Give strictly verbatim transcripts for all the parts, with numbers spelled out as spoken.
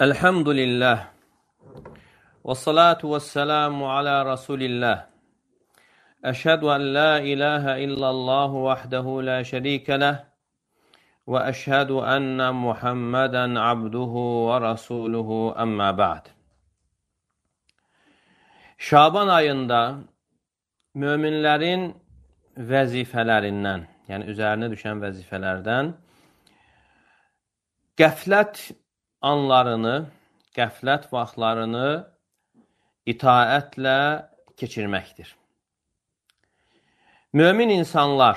Elhamdülillah. Və salatu və selamu alə Rasulillah. Əşhədu ən la ilahə illallah vəhdəhu la şərikə ləh və əşhədu ənnə Muhammədən abduhu və rasuluhu əmmə ba'd. Şaban ayında möminlərin vəzifələrindən, yəni üzərinə düşən vəzifələrdən qəflət anlarını, qəflət vaxtlarını itaətlə keçirməkdir. Mömin insanlar,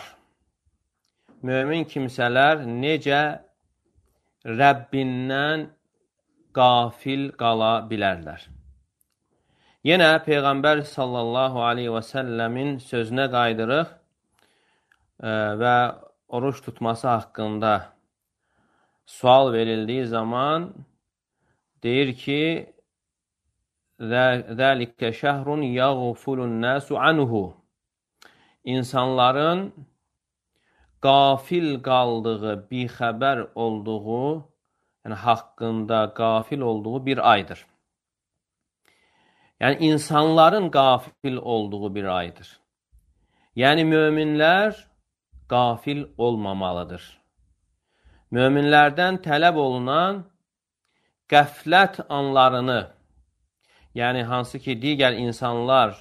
mömin kimsələr necə Rəbbindən qafil qala bilərlər? Yenə Peyğəmbər sallallahu aleyhi və səlləmin sözünə qaydırıq və oruç tutması haqqında sual verildiyi zaman deyir ki, Zəlikə şəhrun yəğfulun nəsu anhu. İnsanların qafil qaldığı, bixəbər olduğu, yəni haqqında qafil olduğu bir aydır. Yəni insanların qafil olduğu bir aydır. Yəni möminlər qafil olmamalıdır. Möminlərdən tələb olunan qəflət anlarını, yəni hansı ki, digər insanlar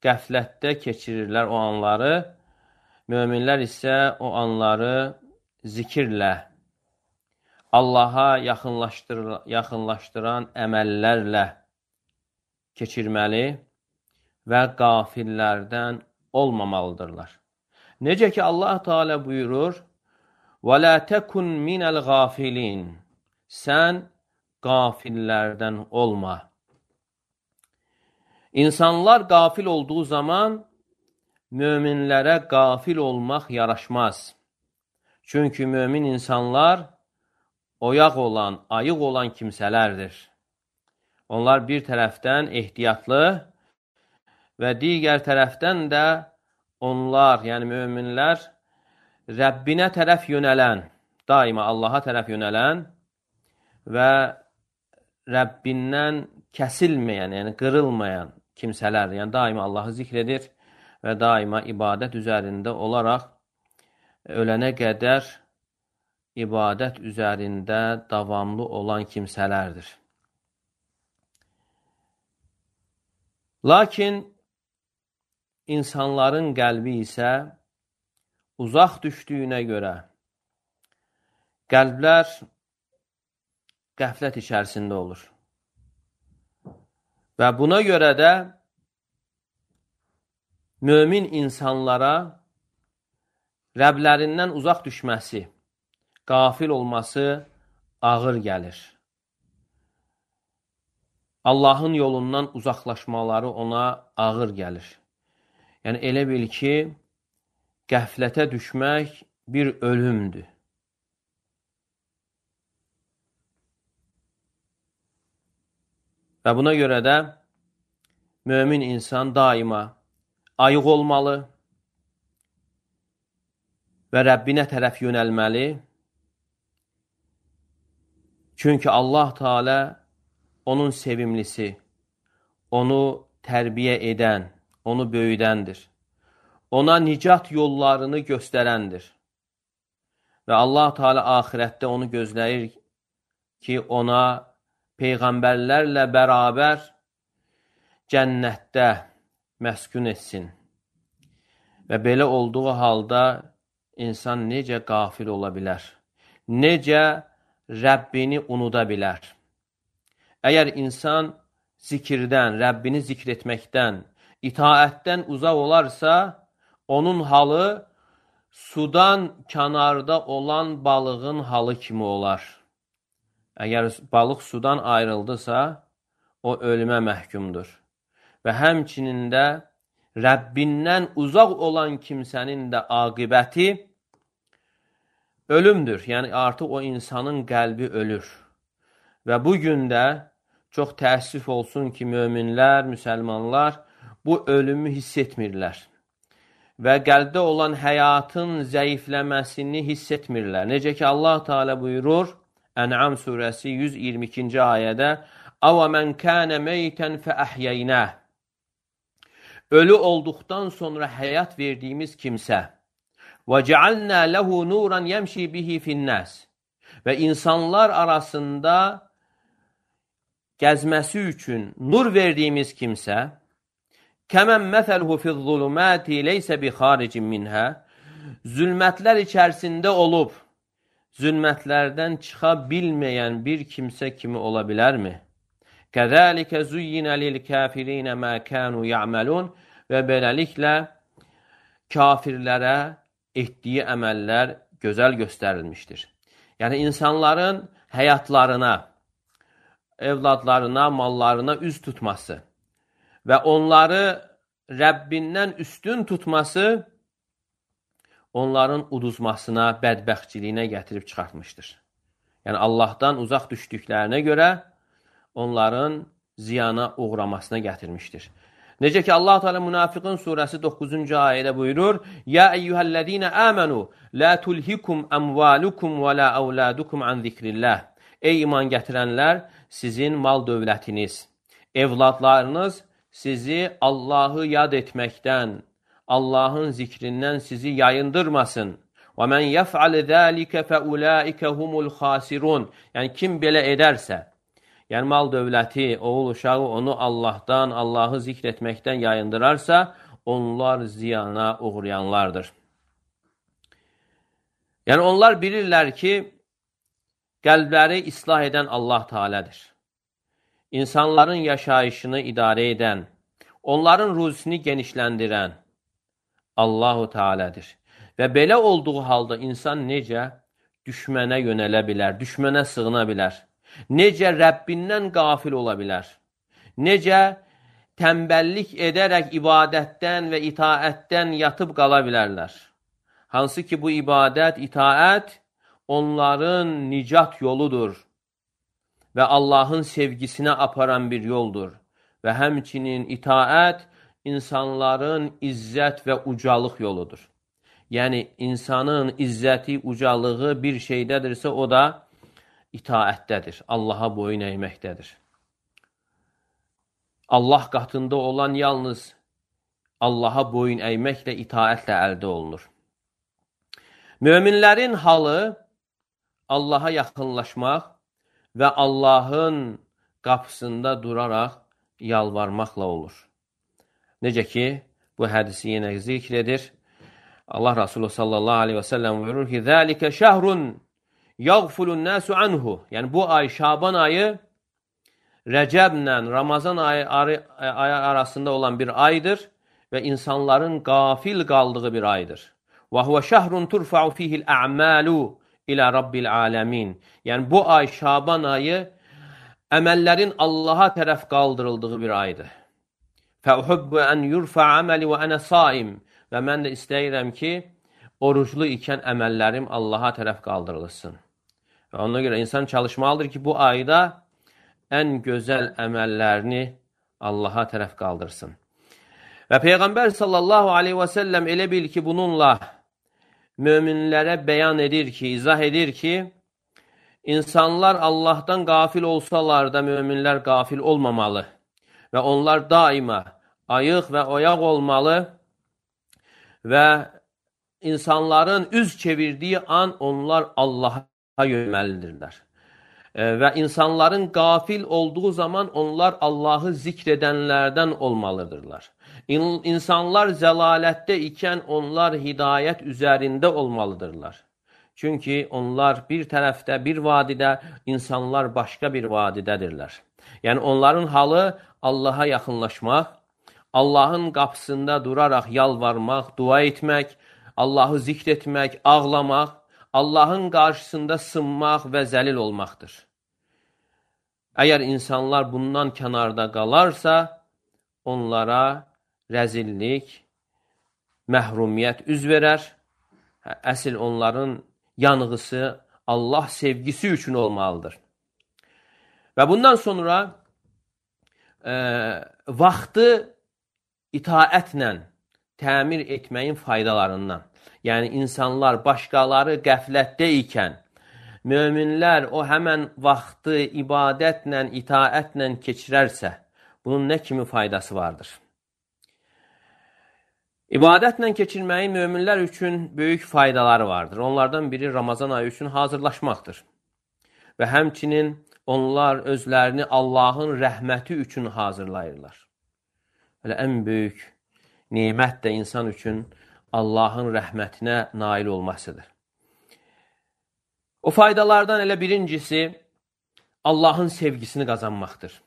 qəflətdə keçirirlər o anları, möminlər isə o anları zikirlə, Allaha yaxınlaşdır, yaxınlaşdıran əməllərlə keçirməli və qafillərdən olmamalıdırlar. Necə ki, Allah Teala buyurur, وَلَا تَكُنْ مِنَ الْغَافِلِينَ. Sən qafillərdən olma. İnsanlar qafil olduğu zaman möminlərə qafil olmaq yaraşmaz. Çünki mömin insanlar oyaq olan, ayıq olan kimsələrdir. Onlar bir tərəfdən ehtiyatlı və digər tərəfdən də onlar, yəni möminlər Rəbbinə tərəf yönələn, daima Allaha tərəf yönələn və Rəbbindən kəsilməyən, yəni qırılmayan kimsələr, yəni daima Allahı zikr edir və daima ibadət üzərində olaraq ölənə qədər ibadət üzərində davamlı olan kimsələrdir. Lakin insanların qəlbi isə uzaq düşdüyünə görə qəlblər qəflət içərisində olur. Və buna görə də mömin insanlara Rəblərindən uzaq düşməsi, qafil olması ağır gəlir. Allahın yolundan uzaqlaşmaları ona ağır gəlir. Yəni elə bil ki, qəflətə düşmək bir ölümdür. Və buna görə də mömin insan daima ayıq olmalı və Rəbbinə tərəf yönəlməli. Çünki Allah Teala onun sevimlisi, onu tərbiyə edən, onu böyüdəndir. Ona nicat yollarını göstərəndir. Və Allah Teala axirətdə onu gözləyir ki, ona peyğəmbərlərlə bərabər cənnətdə məskun etsin. Və belə olduğu halda insan necə qafil ola bilər? Necə Rəbbini unuda bilər? Əgər insan zikirdən, Rəbbini zikr etməkdən, itaətdən uzaq olarsa, onun halı sudan kənarda olan balığın halı kimi olar. Əgər balıq sudan ayrıldısa, o ölümə məhkumdur. Və həmçinin də Rəbbindən uzaq olan kimsənin də aqibəti ölümdür. Yəni artıq o insanın qəlbi ölür. Və bugün də çox təəssüf olsun ki, möminlər, müsəlmanlar bu ölümü hiss etmirlər. Və qəlbdə olan həyatın zəifləməsini hiss etmirlər. Necə ki, Allah Teala buyurur, Ən'am surəsi yüz iyirmi ikinci ayədə "Əvə mən kənə meytən fəəhyeynəh" Ölü olduqdan sonra həyat verdiyimiz kimsə və cealnə lehu nuran yemşi bihi finnəs və insanlar arasında gəzməsi üçün nur verdiyimiz kimsə kəmən məsəlhu fiz-zulumati leysə bi xaricin minhə zülmətlər içərisində olub zülmətlərdən çıxa bilməyən bir kimsə kimi ola bilərmi? Kəzəlikə zuyyinə lil-kafirinə mə kənu ya'melun və beləliklə kafirlərə etdiyi əməllər gözəl göstərilmişdir. Yəni insanların həyatlarına, evladlarına, mallarına üz tutması və onları Rəbbindən üstün tutması onların uduzmasına, bədbəxtçiliyinə gətirib çıxartmışdır. Yəni Allahdan uzaq düşdüklərinə görə onların ziyana uğramasına gətirmişdir. Necə ki Allah Teala Münafiqun surəsi doqquzuncu ayədə buyurur: "Ya eyyuhellezine amenu la tulhikum amwalukum və la auladukum an zikrillah." Ey iman gətirənlər, sizin mal dövlətiniz, evladlarınız sizi Allahı yad etməkdən, Allahın zikrindən sizi yayındırmasın. Və men yef'al zalika fa ulaika humul khasirun. Yəni kim belə edərsə, yəni mal dövləti, oğul uşağı onu Allahdan, Allahı zikr etməkdən yayındırarsa, onlar ziyana uğrayanlardır. Yəni onlar bilirlər ki, qəlbləri islah edən Allah Teala'dır. İnsanların yaşayışını idarə edən, onların ruzisini genişləndirən Allahu Teala'dır. Və belə olduğu halda insan necə düşmənə yönələ bilər, düşmənə sığına bilər? Necə Rəbbindən qafil ola bilər? Necə tənbəllik edərək ibadətdən və itaətdən yatıb qala bilərlər? Hansı ki bu ibadət, itaət onların nicat yoludur və Allahın sevgisinə aparan bir yoldur. Və həmçinin itaət insanların izzət və ucalıq yoludur. Yəni, insanın izzəti, ucalığı bir şeydədirsə, o da itaətdədir, Allaha boyun əyməkdədir. Allah qatında olan yalnız Allaha boyun əyməklə, itaətlə əldə olunur. Möminlərin halı Allaha yaxınlaşmaq və Allahın qapısında duraraq yalvarmaqla olur. Necə ki, bu hədisi yenə zikr edir. Allah Resulü sallallahu aleyhi və səlləm buyurur ki, "Zəlikə şəhrun yəğfulun nəsu anhu." Yəni, bu ay, Şaban ayı, Rəcəblə Ramazan ayı arasında olan bir aydır və insanların qafil qaldığı bir aydır. Və huvə şəhrun turfa'u fihil a'malu ilə Rabbil aləmin. Yəni, bu ay, Şaban ayı, əməllərin Allaha tərəf qaldırıldığı bir aydır. Fəuhubbu ən yurfa əməli və ənə saim. Və mən də istəyirəm ki, oruclu ikən əməllərim Allaha tərəf qaldırılsın. Və ona görə insan çalışmalıdır ki, bu ayda ən gözəl əməllərini Allaha tərəf qaldırsın. Və Peyğəmbər sallallahu aleyhi və səlləm elə bil ki, bununla möminlərə bəyan edir ki, izah edir ki, insanlar Allahdan qafil olsalar da möminlər qafil olmamalı və onlar daima ayıq və oyaq olmalı və insanların üz çevirdiyi an onlar Allaha yönəlməlidirlər. Və insanların qafil olduğu zaman onlar Allahı zikr edənlərdən olmalıdırlar. İnsanlar zəlalətdə ikən onlar hidayət üzərində olmalıdırlar. Çünki onlar bir tərəfdə, bir vadidə, insanlar başqa bir vadidədirlər. Yəni onların halı Allaha yaxınlaşmaq, Allahın qapısında duraraq yalvarmaq, dua etmək, Allahı zikr etmək, ağlamaq, Allahın qarşısında sınmaq və zəlil olmaqdır. Əgər insanlar bundan kənarda qalarsa, onlara rəzillik, məhrumiyyət üz verər. Əsl onların yanğısı Allah sevgisi üçün olmalıdır. Və bundan sonra e, vaxtı itaətlə təmir etməyin faydalarından. Yəni, insanlar başqaları qəflətdə ikən möminlər o həmən vaxtı ibadətlə, itaətlə keçirərsə, bunun nə kimi faydası vardır? İbadətlə keçirməyin möminlər üçün böyük faydaları vardır. Onlardan biri Ramazan ayı üçün hazırlaşmaqdır. Və həmçinin onlar özlərini Allahın rəhməti üçün hazırlayırlar. Elə ən böyük nemət də insan üçün Allahın rəhmətinə nail olmasıdır. O faydalardan elə birincisi Allahın sevgisini qazanmaqdır.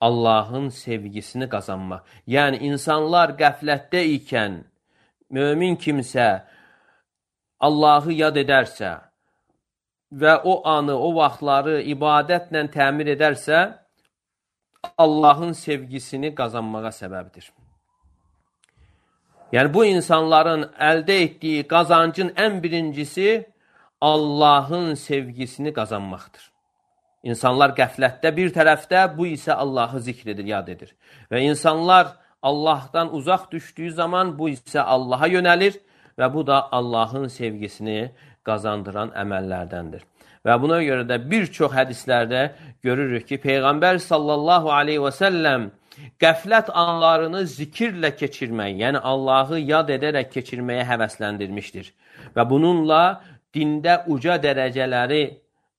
Allahın sevgisini qazanmaq. Yəni, insanlar qəflətdə ikən mömin kimsə Allahı yad edərsə və o anı, o vaxtları ibadətlə təmir edərsə, Allahın sevgisini qazanmağa səbəbdir. Yəni, bu insanların əldə etdiyi qazancın ən birincisi Allahın sevgisini qazanmaqdır. İnsanlar qəflətdə bir tərəfdə, bu isə Allahı zikr edir, yad edir. Və insanlar Allahdan uzaq düşdüyü zaman bu isə Allaha yönəlir və bu da Allahın sevgisini qazandıran əməllərdəndir. Və buna görə də bir çox hədislərdə görürük ki, Peyğəmbər sallallahu aleyhi və səlləm qəflət anlarını zikirlə keçirmək, yəni Allahı yad edərək keçirməyə həvəsləndirmişdir. Və bununla dində uca dərəcələri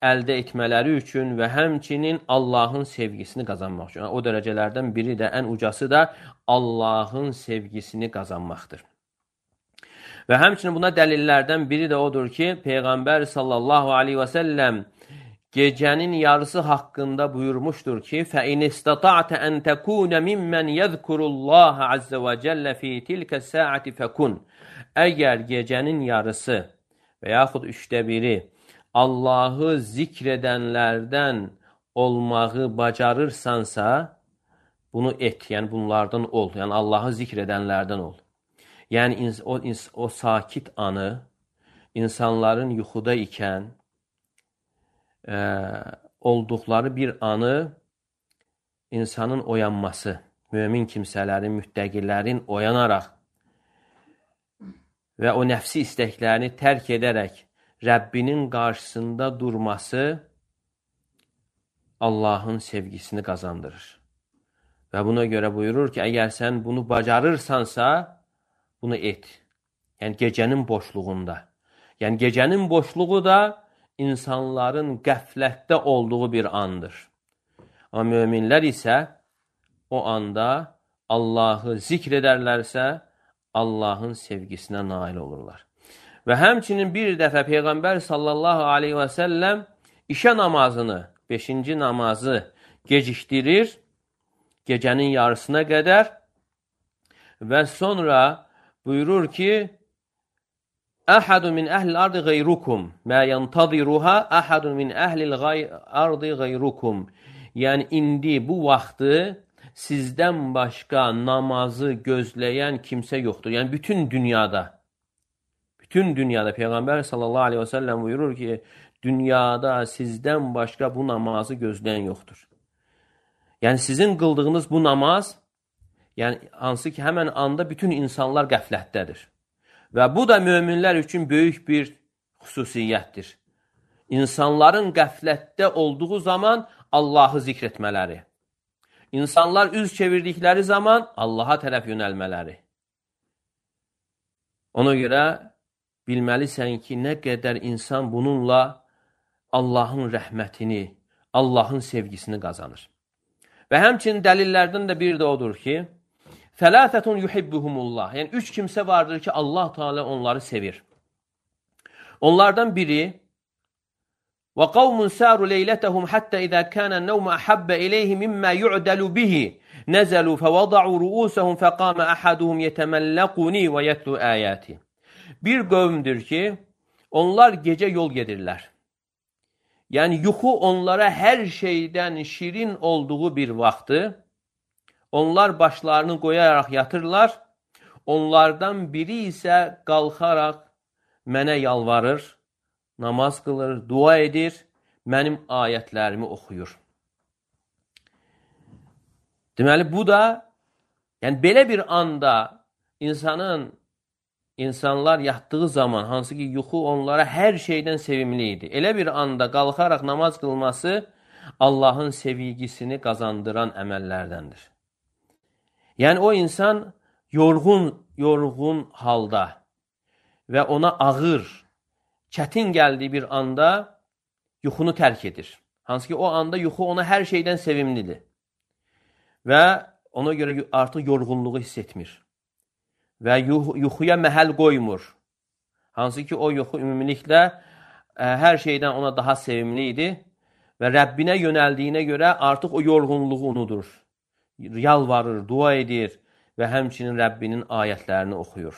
əldə etmələri üçün və həmçinin Allahın sevgisini qazanmaq üçün. O dərəcələrdən biri də, ən ucası da Allahın sevgisini qazanmaqdır. Və həmçinin buna dəlillərdən biri də odur ki, Peyğəmbər sallallahu aleyhi və səlləm gecənin yarısı haqqında buyurmuşdur ki, فَاِنْ اِسْتَطَعْتَ أَنْ تَكُونَ مِمَّنْ يَذْكُرُ اللّٰهَ عَزَّ وَجَلَّ فِي تِلْكَ السَّاعَةِ فَكُنْ. Əgər gecənin yarısı və yaxud üçdə biri Allahı zikr edənlərdən olmağı bacarırsansa, bunu et, yəni bunlardan ol, yəni Allahı zikr edənlərdən ol. Yəni o, o sakit anı, insanların yuxuda ikən e, olduqları bir anı insanın oyanması, mömin kimsələrin, müttəqilərin oyanaraq və o nəfsi istəklərini tərk edərək Rəbbinin qarşısında durması Allahın sevgisini qazandırır. Və buna görə buyurur ki, əgər sən bunu bacarırsansa, bunu et. Yəni, gecənin boşluğunda. Yəni, gecənin boşluğu da insanların qəflətdə olduğu bir andır. Amma möminlər isə o anda Allahı zikr edərlərsə, Allahın sevgisinə nail olurlar. Və həmçinin bir dəfə Peyğəmbər sallallahu aleyhi və səlləm işə namazını, beşinci namazı gecikdirir, gecənin yarısına qədər və sonra buyurur ki, Əhədun min əhlil ardı qeyrukum, mə yəntadiruha əhədun min əhlil ardı qeyrukum. Yəni, indi bu vaxtı sizdən başqa namazı gözləyən kimsə yoxdur. Yəni, bütün dünyada, bütün dünyada Peyğəmbər sallallahu aleyhi və səlləm buyurur ki, dünyada sizdən başqa bu namazı gözləyən yoxdur. Yəni, sizin qıldığınız bu namaz, yəni, hansı ki, həmən anda bütün insanlar qəflətdədir. Və bu da möminlər üçün böyük bir xüsusiyyətdir. İnsanların qəflətdə olduğu zaman Allahı zikr etmələri. İnsanlar üz çevirdikləri zaman Allaha tərəf yönəlmələri. Ona görə bilməlisən ki, nə qədər insan bununla Allahın rəhmətini, Allahın sevgisini qazanır. Və həmçinin dəlillərdən də bir də odur ki, Fəlâfətun yuhibbuhumullah. Yəni, üç kimsə vardır ki, Allah Teala onları sevir. Onlardan biri وَقَوْمٌ سَارُوا لَيْلَتَهُمْ حَتَّى إِذَا كَانَ النَّوْمَ أَحَبَّ إِلَيْهِ مِمَّا يُعْدَلُ بِهِ نَزَلُوا فَوَضَعُوا رُؤُوسَهُمْ فَقَامَ أَحَدُهُمْ يَتَمَلَّقُنِي وَيَتْلُ آيَاتِ. Bir qövmdür ki, onlar gecə yol gedirlər. Yəni, yuxu onlara hər şeydən şirin olduğu bir vaxtı, onlar başlarını qoyaraq yatırlar, onlardan biri isə qalxaraq mənə yalvarır, namaz qılır, dua edir, mənim ayətlərimi oxuyur. Deməli, bu da, yəni belə bir anda insanın insanlar yatdığı zaman, hansı ki yuxu onlara hər şeydən sevimli idi. Elə bir anda qalxaraq namaz qılması Allahın sevgisini qazandıran əməllərdəndir. Yəni o insan yorğun, yorğun halda və ona ağır, çətin gəldiyi bir anda yuxunu tərk edir. Hansı ki o anda yuxu ona hər şeydən sevimlidir. Və ona görə artıq yorğunluğu hiss etmir. Və yuxuya məhəl qoymur. Hansı ki o yuxu ümumiliklə ə, hər şeydən ona daha sevimli idi və Rəbbinə yönəldiyinə görə artıq o yorğunluğu unudur. Yalvarır, dua edir və həmçinin Rəbbinin ayətlərini oxuyur.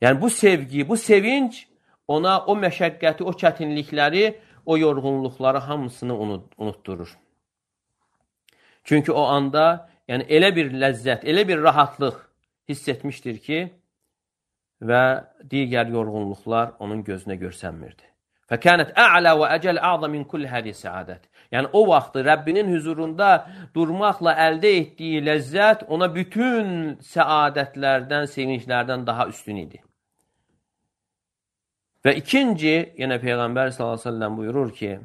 Yəni bu sevgi, bu sevinç ona o məşəqqəti, o çətinlikləri, o yorğunluqları hamısını unutdurur. Çünki o anda yəni elə bir ləzzət, elə bir rahatlıq hiss etmişdir ki, və digər yorğunluqlar onun gözünə görsənmirdi. Fəkənət ə'lə və əcəl ə'zə min kulli hədi səadət. Yəni o vaxtı Rəbbinin huzurunda durmaqla əldə etdiyi ləzzət ona bütün səadətlərdən, sevinclərdən daha üstün idi. Və ikinci, yenə Peyğəmbər sallallahu əleyhi və səlləm buyurur ki,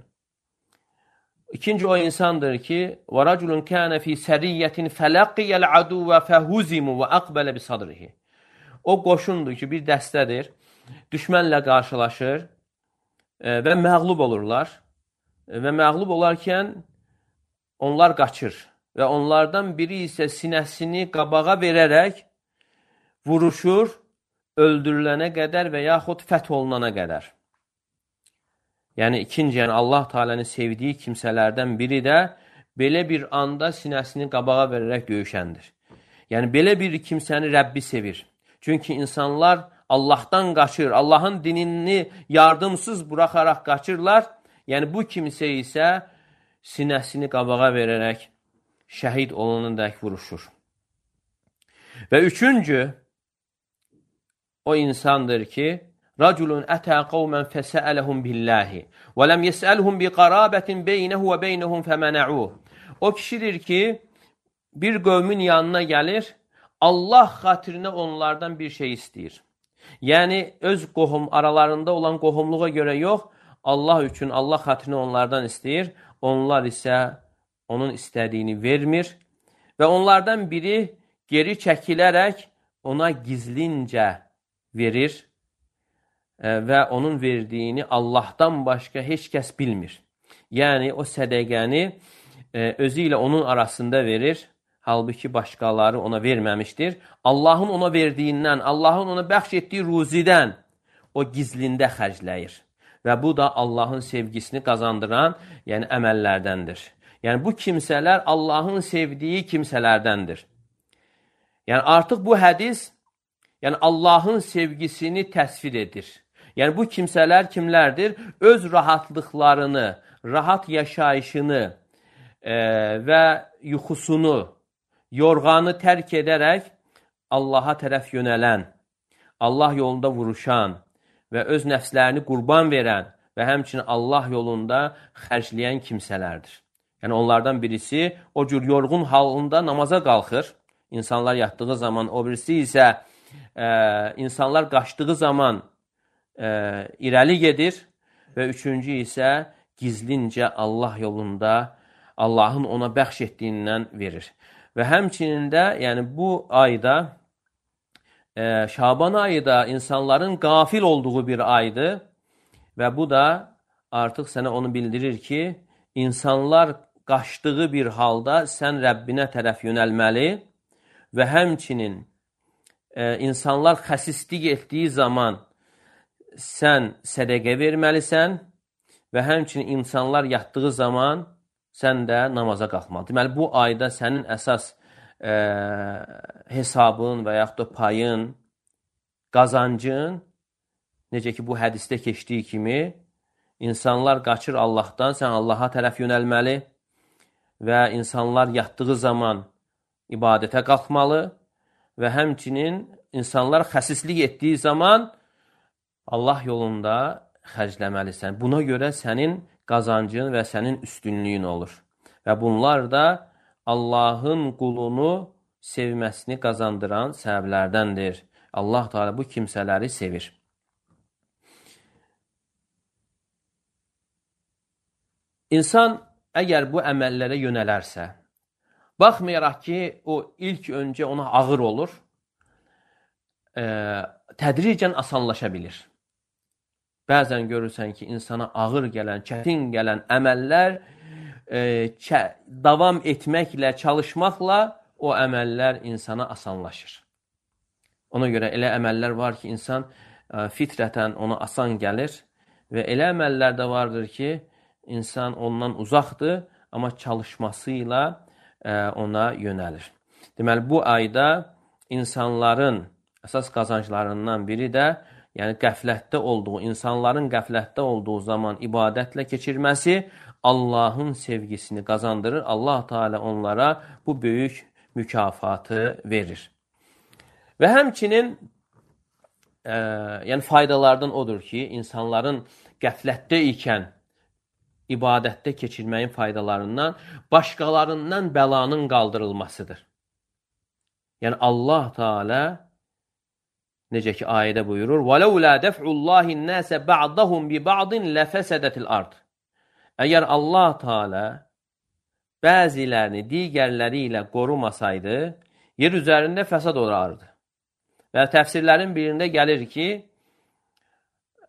İkinci o insandır ki, وَرَجُلٌ كَانَ فِي سَرِيَّةٍ فَلَقِيَ الْعَدُوَّ فَهُزِمُ وَأَقْبَلَ بِصَدْرِهِ. O qoşundur ki, bir dəstədir, düşmənlə qarşılaşır və məğlub olurlar. Və məğlub olarkən onlar qaçır. Və onlardan biri isə sinəsini qabağa verərək vuruşur, öldürülənə qədər və yaxud fəth olunana qədər. Yəni ikinci, yəni Allah Teala'nın sevdiyi kimsələrdən biri də belə bir anda sinəsini qabağa verərək döyüşəndir. Yəni belə bir kimsəni Rəbbi sevir. Çünki insanlar Allahdan qaçır, Allahın dinini yardımsız buraxaraq qaçırlar. Yəni bu kimsə isə sinəsini qabağa verərək şəhid olunanadək vuruşur. Və üçüncü o insandır ki, رَجُلٌ أَتَى قَوْمًا فَسَأَلَهُمْ بِاللّٰهِ وَلَمْ يَسْأَلْهُمْ بِقَرَابَةٍ بَيْنَهُ وَبَيْنَهُمْ فَمَنَعُوهُ. O kişidir ki, bir qövmin yanına gəlir, Allah xatirinə onlardan bir şey istəyir. Yəni, öz qohum, aralarında olan qohumluğa görə yox, Allah üçün, Allah xatirinə onlardan istəyir. Onlar isə onun istədiyini vermir və onlardan biri geri çəkilərək ona gizlincə verir və onun verdiyini Allahdan başqa heç kəs bilmir. Yəni, o sədəqəni özü ilə onun arasında verir, halbuki başqaları ona verməmişdir. Allahın ona verdiyindən, Allahın ona bəxş etdiyi ruzidən o gizlində xərcləyir. Və bu da Allahın sevgisini qazandıran, yəni əməllərdəndir. Yəni, bu kimsələr Allahın sevdiyi kimsələrdəndir. Yəni, artıq bu hədis, yəni Allahın sevgisini təsvir edir. Yəni, bu kimsələr kimlərdir? Öz rahatlıqlarını, rahat yaşayışını e, və yuxusunu, yorğanı tərk edərək Allaha tərəf yönələn, Allah yolunda vuruşan və öz nəfslərini qurban verən və həmçinin Allah yolunda xərcləyən kimsələrdir. Yəni, onlardan birisi o cür yorğun halında namaza qalxır. İnsanlar yatdığı zaman, o birisi isə e, insanlar qaçdığı zaman e, irəli gedir və üçüncü isə gizlincə Allah yolunda Allahın ona bəxş etdiyindən verir. Və həmçinin də, yəni bu ayda, e, Şaban ayı da insanların qafil olduğu bir aydır və bu da artıq sənə onu bildirir ki, insanlar qaçdığı bir halda sən Rəbbinə tərəf yönəlməli və həmçinin e, insanlar xəsislik etdiyi zaman sən sədəqə verməlisən və həmçinin insanlar yatdığı zaman sən də namaza qalxmalı. Deməli, bu ayda sənin əsas e, hesabın və yaxud da payın, qazancın, necə ki bu hədisdə keçdiyi kimi, insanlar qaçır Allahdan, sən Allaha tərəf yönəlməli və insanlar yatdığı zaman ibadətə qalxmalı və həmçinin insanlar xəsislik etdiyi zaman Allah yolunda xərcləməlisən. Buna görə sənin qazancın və sənin üstünlüyün olur. Və bunlar da Allahın qulunu sevməsini qazandıran səbəblərdəndir. Allah Teala bu kimsələri sevir. İnsan əgər bu əməllərə yönələrsə, baxmayaraq ki, o ilk öncə ona ağır olur, e, tədricən asanlaşa bilir. Bəzən görürsən ki, insana ağır gələn, çətin gələn əməllər e, davam etməklə, çalışmaqla o əməllər insana asanlaşır. Ona görə elə əməllər var ki, insan e, fitrətən ona asan gəlir və elə əməllər də vardır ki, insan ondan uzaqdır, amma çalışmasıyla e, ona yönəlir. Deməli, bu ayda insanların əsas qazanclarından biri də, yəni qəflətdə olduğu, insanların qəflətdə olduğu zaman ibadətlə keçirməsi Allahın sevgisini qazandırır. Allah Teala onlara bu böyük mükafatı verir. Və həmçinin e, yəni faydalardan odur ki, insanların qəflətdə ikən ibadətdə keçirməyin faydalarından başqalarından bəlanın qaldırılmasıdır. Yəni Allah Teala necə ki ayədə buyurur: وَلَوْلَا دَفْعُ اللّٰهِ النَّاسَ بَعْضَهُمْ بِبَعْضٍ لَفَسَدَتِ الْأَرْضِ. Əgər Allah Teala bəzilərini digərləri ilə qorumasaydı, yer üzərində fəsad olardı. Və təfsirlərin birində gəlir ki,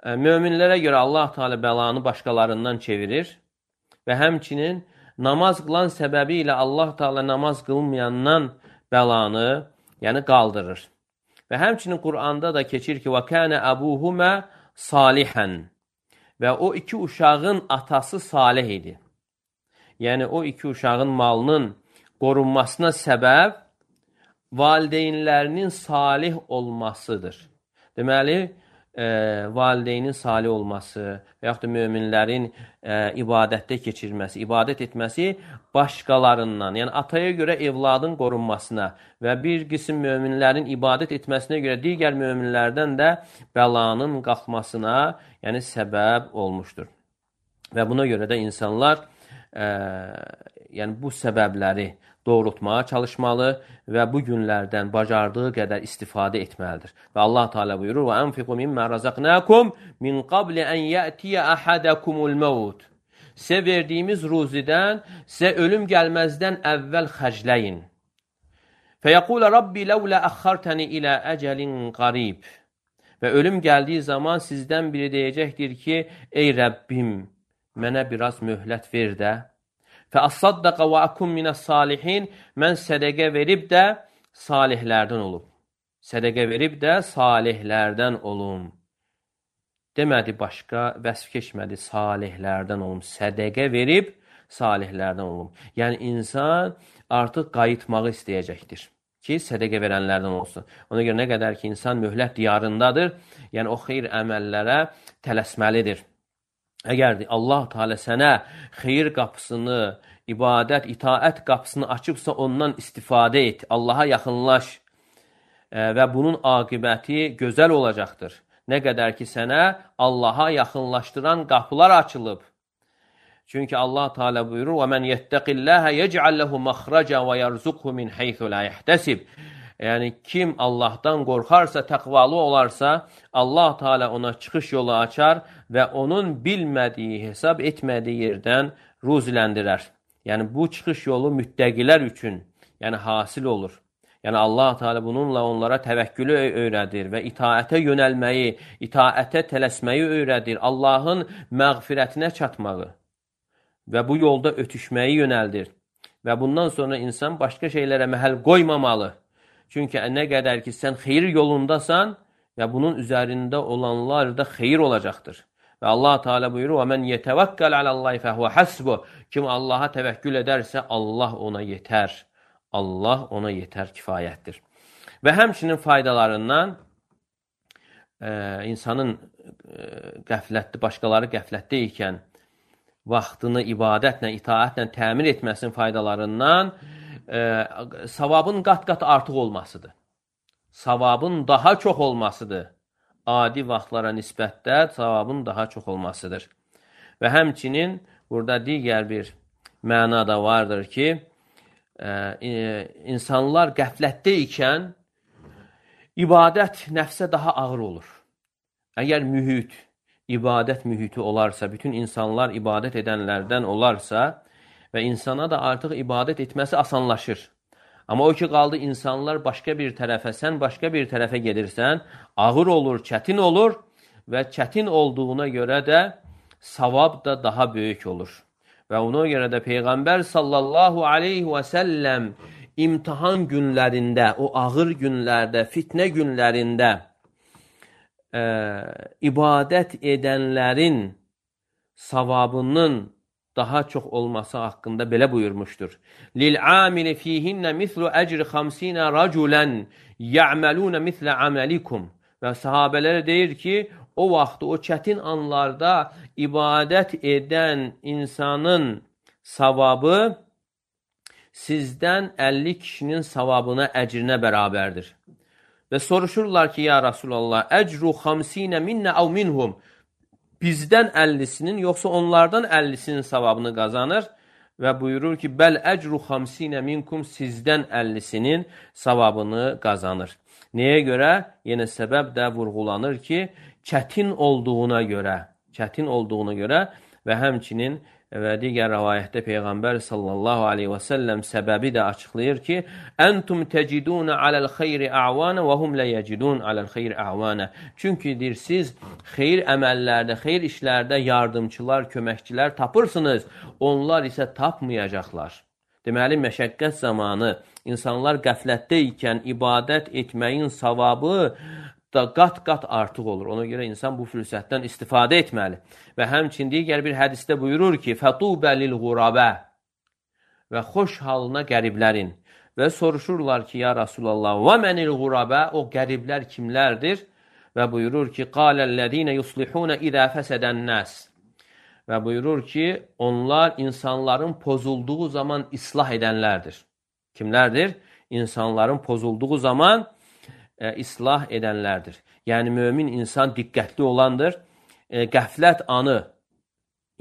möminlərə görə Allah Teala bəlanı başqalarından çevirir və həmçinin namaz qılan səbəbi ilə Allah Teala namaz qılmayandan bəlanı, yəni qaldırır. Və həmçinin Quranda da keçir ki, وَكَانَ أَبُوهُمَا صَالِحًا. Və o iki uşağın atası salih idi. Yəni o iki uşağın malının qorunmasına səbəb valideynlərinin salih olmasıdır. Deməli, e, valideynin salih olması və yaxud da möminlərin e, ibadətdə keçirməsi, ibadət etməsi başqalarından, yəni ataya görə evladın qorunmasına və bir qism möminlərin ibadət etməsinə görə digər möminlərdən də bəlanın qalxmasına, yəni səbəb olmuşdur. Və buna görə də insanlar e, yəni bu səbəbləri doğrultmağa çalışmalı və bu günlərdən bacardığı qədər istifadə etməlidir. Və Allah Teala buyurur: "Və enfiqu mimma razaqnakum min qabl an ya'tiya ahadakumul maut." Sizə verdiyimiz ruzidən sizə ölüm gəlməzdən əvvəl xərcləyin. "Feyaqulu rabbi laula akhartani ila ajalin qarib." Və ölüm gəldiyi zaman sizdən biri deyəcəkdir ki, ey Rəbbim, mənə biraz möhlət ver də. Fəəssaddaqa və akum minəs-salihin. Mən sədəqə verib də salihlərdən olum. Sədəqə verib də salihlərdən olum. Demədi başqa, vəsf keçmədi, salihlərdən olum. Sədəqə verib salihlərdən olum. Yəni insan artıq qayıtmağı istəyəcəkdir ki, sədəqə verənlərdən olsun. Ona görə nə qədər ki, insan möhlət diyarındadır, yəni o xeyir əməllərə tələsməlidir. Əgər Allah Teala sənə xeyir qapısını, ibadət, itaət qapısını açıbsa ondan istifadə et, Allaha yaxınlaş və bunun aqibəti gözəl olacaqdır. Nə qədər ki, sənə Allaha yaxınlaşdıran qapılar açılıb. Çünki Allah Teala buyurur: "Və men yettəqillaha yec'al lehu məxraca və yerzuqhu min haythu la yahtasib." Yəni kim Allahdan qorxarsa, təqvalı olarsa, Allah Teala ona çıxış yolu açar və onun bilmədiyi, hesab etmədiyi yerdən ruziləndirər. Yəni bu çıxış yolu müttəqilər üçün, yəni hasil olur. Yəni Allah Teala bununla onlara təvəkkülü öyrədir və itaətə yönəlməyi, itaətə tələsməyi öyrədir. Allahın məğfirətinə çatmağı və bu yolda ötüşməyi yönəldir. Və bundan sonra insan başqa şeylərə məhəl qoymamalı. Çünki nə qədər ki, sən xeyir yolundasan və bunun üzərində olanlar da xeyir olacaqdır. Və Allah Teala buyurur: "Və men yetəvəkkəl alallahi fəhvə hasbuh." Kim Allaha təvəkkül edərsə, Allah ona yetər. Allah ona yetər, kifayətdir. Və həmçinin faydalarından e, insanın e, qəflətli, başqaları qəflətdə ikən vaxtını ibadətlə, itaətlə təmin etməsinin faydalarından e, savabın qat-qat artıq olmasıdır. Savabın daha çox olmasıdır. Adi vaxtlara nisbətdə savabın daha çox olmasıdır. Və həmçinin burada digər bir məna da vardır ki, e, insanlar qəflətdə ikən ibadət nəfsə daha ağır olur. Əgər mühit, ibadət mühiti olarsa, bütün insanlar ibadət edənlərdən olarsa və insana da artıq ibadət etməsi asanlaşır. Amma o ki, qaldı insanlar başqa bir tərəfə, sən başqa bir tərəfə gedirsən, ağır olur, çətin olur və çətin olduğuna görə də savab da daha böyük olur. Və ona görə də Peyğəmbər sallallahu aleyhi və səlləm imtihan günlərində, o ağır günlərdə, fitnə günlərində ə, ibadət edənlərin savabının daha çox olması haqqında belə buyurmuşdur. Lil-amili fihinnə mislu əcri xamsinə raculən ya'maluna mislə amalikum. Və sahabələrə deyir ki, o vaxt, o çətin anlarda ibadət edən insanın savabı sizdən əlli kişinin savabına, əcrinə bərabərdir. Və soruşurlar ki, ya Rasulallah, əcru xamsinə minnə əv minhum. Bizdən əllisinin, yoxsa onlardan əllisinin savabını qazanır və buyurur ki, bəl əcru xamsinə minkum, sizdən əllisinin savabını qazanır. Nəyə görə? Yenə səbəb də vurğulanır ki, çətin olduğuna görə, çətin olduğuna görə və həmçinin və digər rəvayətdə Peyğəmbər sallallahu aleyhi və səlləm səbəbi də açıqlayır ki, Əntum təcidunə aləl xeyri əvanə və hum lə yəcidun aləl xeyri əvanə. Çünki deyir, siz xeyir əməllərdə, xeyir işlərdə yardımçılar, köməkçilər tapırsınız, onlar isə tapmayacaqlar. Deməli, məşəqqət zamanı insanlar qəflətdə ikən ibadət etməyin savabı da qat-qat artıq olur. Ona görə insan bu fürsətdən istifadə etməli. Və həmçin digər bir hədisdə buyurur ki, Fətubə lil-ğurabə və xoş halına qəriblərin. Və soruşurlar ki, ya Rasulallah, və mənil-ğurabə, o qəriblər kimlərdir? Və buyurur ki, Qaləl-ləzinə yuslihunə idə fəsədən nəs. Və buyurur ki, onlar insanların pozulduğu zaman islah edənlərdir. Kimlərdir? İnsanların pozulduğu zaman E, islah edənlərdir. Yəni, mömin insan diqqətli olandır. E, qəflət anı,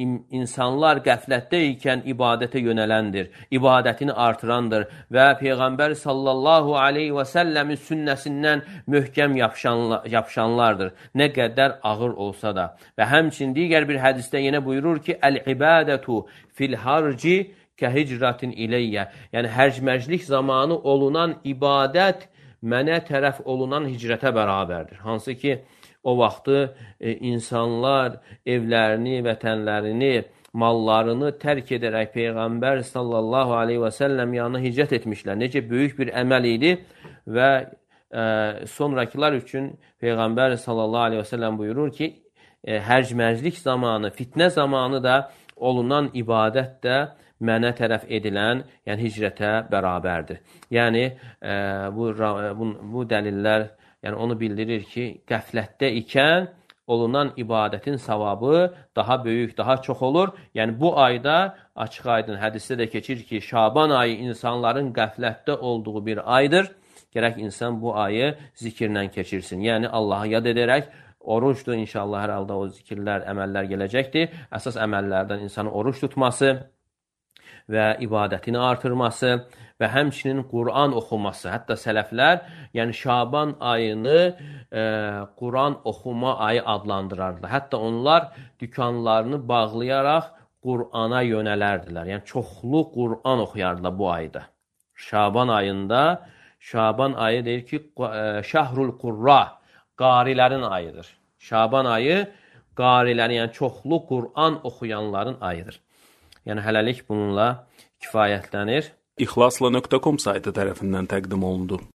in, insanlar qəflətdə ikən ibadətə yönələndir. İbadətini artırandır və Peyğəmbər sallallahu aleyhi və səlləmin sünnəsindən möhkəm yapışanla, yapışanlardır. Nə qədər ağır olsa da. Və həmçin digər bir hədisdə yenə buyurur ki, Əl-ibadətu fil-harci kəhicratin iləyyə. Yəni, hərc-məclik zamanı olunan ibadət mənə tərəf olunan hicrətə bərabərdir. Hansı ki, o vaxtı e, insanlar evlərini, vətənlərini, mallarını tərk edərək Peyğəmbər sallallahu aleyhi və səlləm yanına hicrət etmişlər. Necə böyük bir əməl idi və e, sonrakılar üçün Peyğəmbər sallallahu aleyhi və səlləm buyurur ki, e, hərc-məclik zamanı, fitnə zamanı da olunan ibadət də mənə tərəf edilən, yəni hicrətə bərabərdir. Yəni, e, bu, bu, bu dəlillər yəni, onu bildirir ki, qəflətdə ikən olunan ibadətin savabı daha böyük, daha çox olur. Yəni, bu ayda açıq aydın hədisdə də keçir ki, Şaban ayı insanların qəflətdə olduğu bir aydır. Gərək insan bu ayı zikirlə keçirsin. Yəni, Allahı yad edərək, oruçdur, inşallah hər halda o zikirlər, əməllər gələcəkdir. Əsas əməllərdən insanın oruç tutması və ibadətini artırması və həmçinin Quran oxuması. Hətta sələflər, yəni Şaban ayını e, Quran oxuma ayı adlandırardılar. Hətta onlar dükanlarını bağlayaraq Qurana yönələrdilər. Yəni çoxlu Quran oxuyardılar bu ayda. Şaban ayında, Şaban ayı deyir ki, e, Şəhrul Qurra, qarilərin ayıdır. Şaban ayı qarilərin, yəni çoxlu Quran oxuyanların ayıdır. Yəni, hələlik bununla kifayətlənir. İxlasla nöqtə com saytı tərəfindən təqdim olundu.